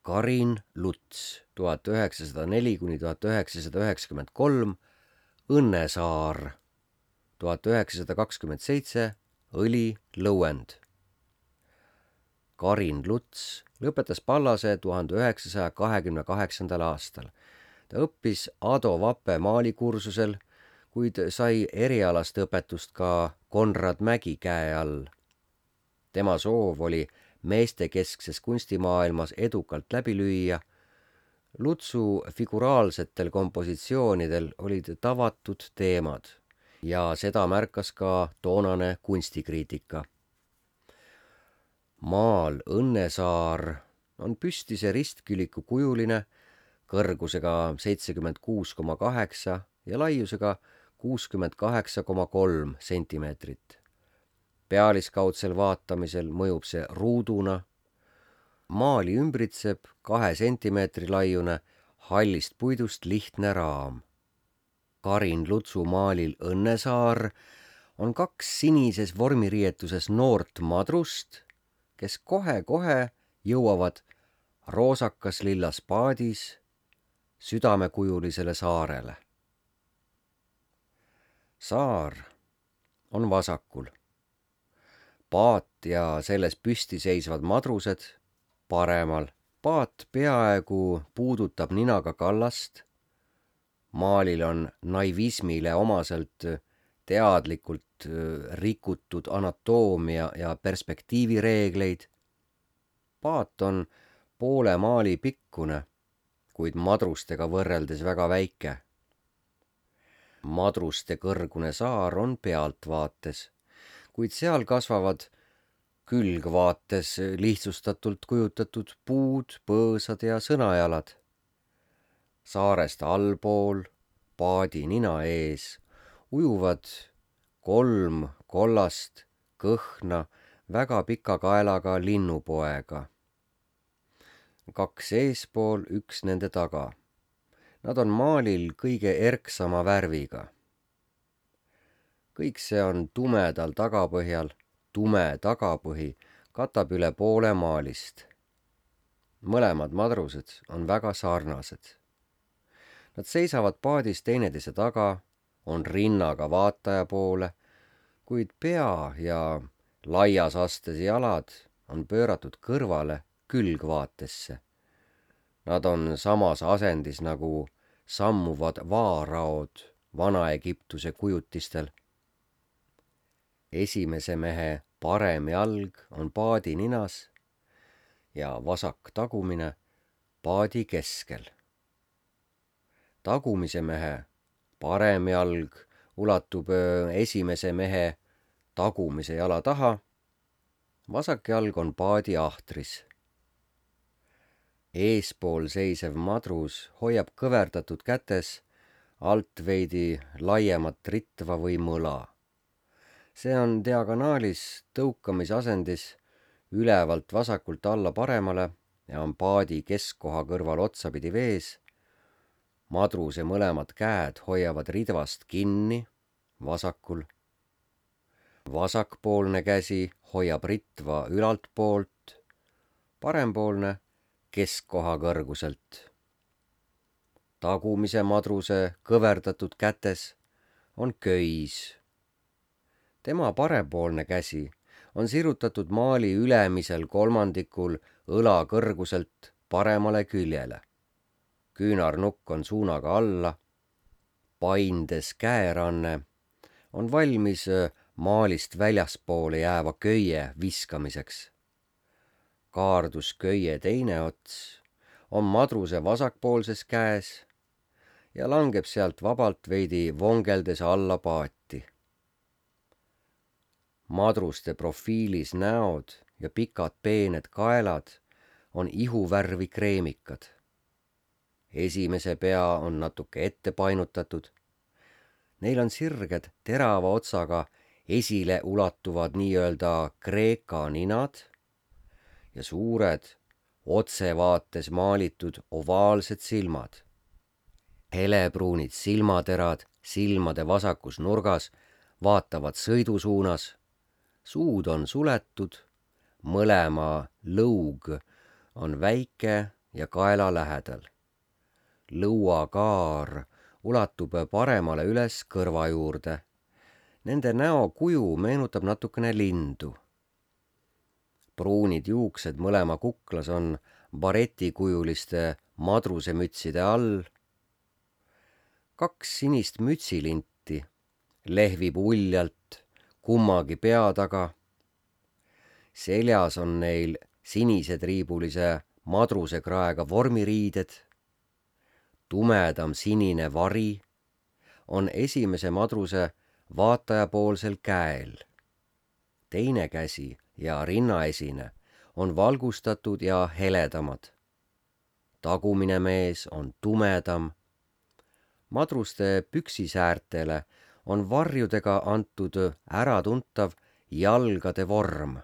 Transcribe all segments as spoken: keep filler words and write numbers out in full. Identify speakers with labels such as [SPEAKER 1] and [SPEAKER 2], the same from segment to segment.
[SPEAKER 1] Karin Luts, tuhat üheksasada neli kuni tuhat üheksasada üheksakümmend kolm, Õnnesaar, tuhat üheksasada kakskümmend seitse, Õli Lõuend. Karin Luts lõpetas Pallase tuhande üheksasaja kahekümne kaheksandal aastal. Ta õppis Ado Vape maalikursusel, kuid sai erialast õpetust ka Konrad Mägi käe all. Tema soov oli meestekeskses kunstimaailmas edukalt läbi lüüa. Lutsu figuraalsetel kompositsioonidel olid tavatud teemad ja seda märkas ka toonane kunstikriitika. Maal Õnnesaar on püstise ristküliku kujuline, kõrgusega seitsekümmend kuus koma kaheksa ja laiusega kuuskümmend kaheksa koma kolm sentimeetrit. Pealiskaudsel vaatamisel mõjub see ruuduna. Maali ümbritseb kahe sentimeetri laiune hallist puidust lihtne raam. Karin Lutsu maalil Õnnesaar on kaks sinises vormiriietuses noort madrust, kes kohe-kohe jõuavad roosakas lillas paadis südamekujulisele saarele. Saar on vasakul. Paat ja selles püsti seisvad madrused paremal. Paat peaaegu puudutab ninaga kallast. Maalil on naivismile omaselt teadlikult rikutud anatoomia ja perspektiivireegleid. Paat on poole maali pikkune, kuid madrustega võrreldes väga väike. Madruste kõrgune saar on pealtvaates, kuid seal kasvavad külgvaates lihtsustatult kujutatud puud, põõsad ja sõnajalad. Saarest allpool, paadi nina ees, ujuvad kolm kollast kõhna väga pika kaelaga linnupoega. Kaks eespool, üks nende taga. Nad on maalil kõige erksama värviga. Kõik see on tumedal tagapõhjal, tume tagapõhi katab üle poole maalist. Mõlemad madrused on väga sarnased. Nad seisavad paadis teineteise taga, on rinnaga vaataja poole, kuid pea ja laias astes jalad on pööratud kõrvale külgvaatesse. Nad on samas asendis nagu sammuvad vaaraod Vana-Egiptuse kujutistel. Esimese mehe parem jalg on paadi ninas ja vasak tagumine paadi keskel. Tagumise mehe parem jalg ulatub esimese mehe tagumise jala taha, vasak jalg on paadi ahtris. Eespool seisev madrus hoiab kõverdatud kätes alt veidi laiemat ritva või mõla. See on diagonaalis tõukamisasendis ülevalt vasakult alla paremale ja on paadi keskkoha kõrval otsapidi vees. Madruse mõlemad käed hoiavad ridvast kinni vasakul. Vasakpoolne käsi hoiab ritva ülalt poolt, parempoolne keskkoha kõrguselt. Tagumise madruse kõverdatud kätes on köis. Tema parempoolne käsi on sirutatud maali ülemisel kolmandikul õla kõrguselt paremale küljele. Küünarnukk on suunaga alla. Paindes käeranne on valmis maalist väljaspoole jääva köie viskamiseks. Kaardus köie teine ots on madruse vasakpoolses käes ja langeb sealt vabalt veidi vongeldes alla paati. Madruste profiilis näod ja pikad peened kaelad on ihuvärvi kreemikad. Esimese pea on natuke ette painutatud. Neil on sirged terava otsaga esile ulatuvad nii-öelda kreeka ninad ja suured otsevaates maalitud ovaalsed silmad. Helebruunid silmaterad silmade vasakus nurgas vaatavad sõidusuunas. Suud on suletud, mõlema lõug on väike, ja kaela lähedal. Lõuakaar ulatub paremale üles kõrva juurde. Nende näo kuju meenutab natukene lindu. Pruunid juuksed mõlema kuklas on baretikujuliste madrusemütside all. Kaks sinist mütsilinti lehvib uljalt kummagi pea taga. Seljas on neil sinised riibulise madrusekraega vormiriided. Tumedam sinine vari on esimese madruse vaatajapoolsel käel. Teine käsi ja rinnaesine on valgustatud ja heledamad. Tagumine mees on tumedam. Madruste püksisäärtele on varjudega antud äratuntav jalgade vorm.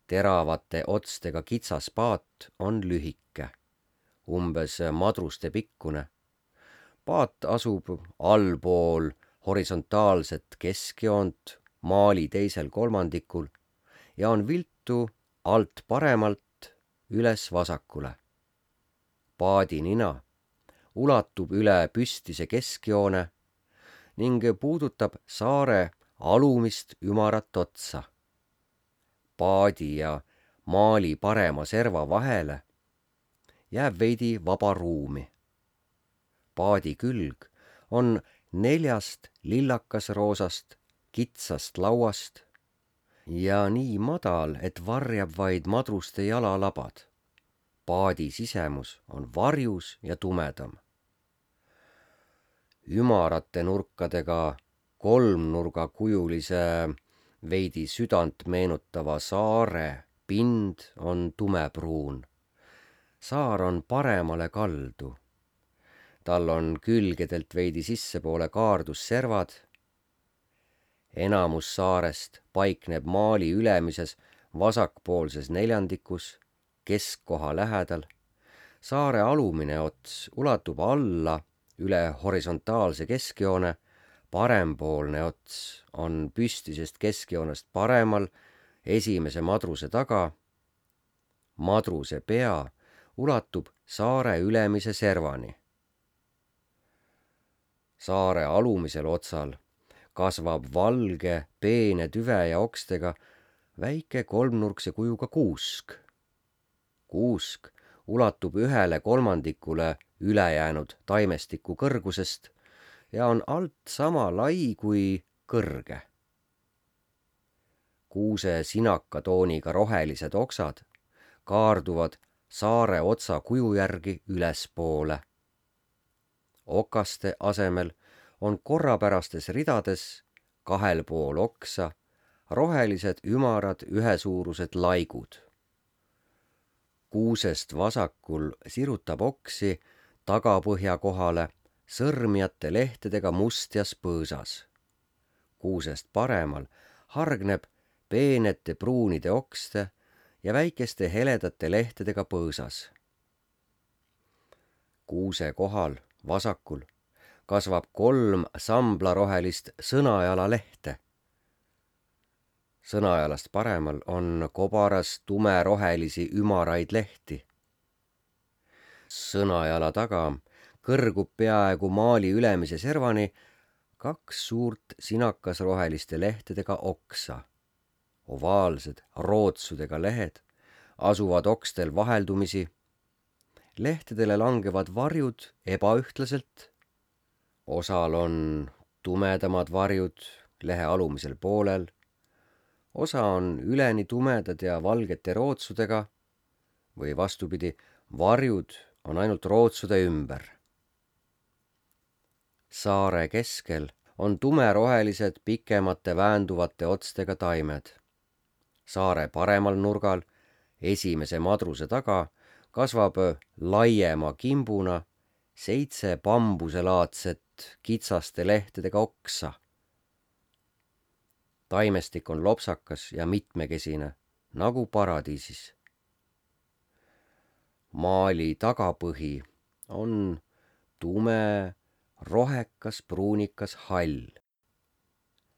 [SPEAKER 1] Teravate otstega kitsas paat on lühike, umbes madruste pikkune. Paat asub allpool horisontaalset keskjoont maali teisel kolmandikul ja on viltu alt paremalt üles vasakule. Paadi nina ulatub üle püstise keskjoone ning puudutab saare alumist ümarat otsa. Paadi ja maali parema serva vahele jääb veidi vaba ruumi. Paadi külg on neljast lillakasroosast kitsast lauast ja nii madal, et varjab vaid madruste jalalabad. Paadi sisemus on varjus ja tumedam. Ümarate nurkadega kolmnurgakujulise veidi südant meenutava saare pind on tumepruun. Saar on paremale kaldu. Tal on külgedelt veidi sissepoole kaardusservad. Enamus saarest paikneb maali ülemises vasakpoolses neljandikus, keskkoha lähedal. Saare alumine ots ulatub alla üle horisontaalse keskjoone. Parempoolne ots on püstisest keskjoonest paremal esimese madruse taga. Madruse pea ulatub saare ülemise servani. Saare alumisel otsal kasvab valge, peene tüve ja okstega väike kolmnurkse kujuga kuusk. Kuusk ulatub ühele kolmandikule ülejäänud taimestiku kõrgusest ja on alt sama lai kui kõrge. Kuuse sinaka tooniga rohelised oksad kaarduvad saare otsa kuju järgi ülespoole. Okaste asemel on korrapärastes ridades kahel pool oksa rohelised ümarad ühesuurused laigud. Kuusest vasakul sirutab oksi tagapõhja kohale sõrmjate lehtedega mustjas põõsas. Kuusest paremal hargneb peenete pruunide okste ja väikeste heledate lehtedega põõsas. Kuuse kohal vasakul kasvab kolm samblarohelist sõnajala lehte. Sõnajalast paremal on kobaras tumerohelisi ümaraid lehti. Sõnajala taga kõrgub peaaegu maali ülemise servani kaks suurt sinakasroheliste lehtedega oksa. Ovaalsed rootsudega lehed asuvad okstel vaheldumisi. Lehtedele langevad varjud ebaühtlaselt. Osal on tumedamad varjud lehe alumisel poolel. Osa on üleni tumedad ja valgete rootsudega või vastupidi, varjud on ainult rootsude ümber. Saare keskel on tumerohelised pikemate väänduvate otstega taimed. Saare paremal nurgal, esimese madruse taga, kasvab laiema kimbuna seitse bambuselaadset kitsaste lehtedega oksa. Taimestik on lopsakas ja mitmekesine, nagu paradiisis. Maali tagapõhi on tume, rohekas, pruunikas hall.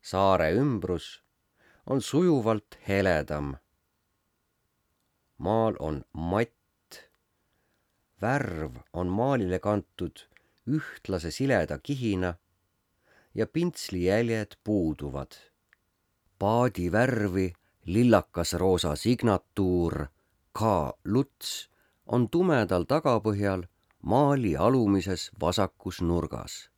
[SPEAKER 1] Saare ümbrus on sujuvalt heledam. Maal on matt värv on maalile kantud ühtlase sileda kihina ja pintslijäljed puuduvad. Paadi värvi lillakas roosa signatuur K. Luts on tumedal tagapõhjal maali alumises vasakus nurgas.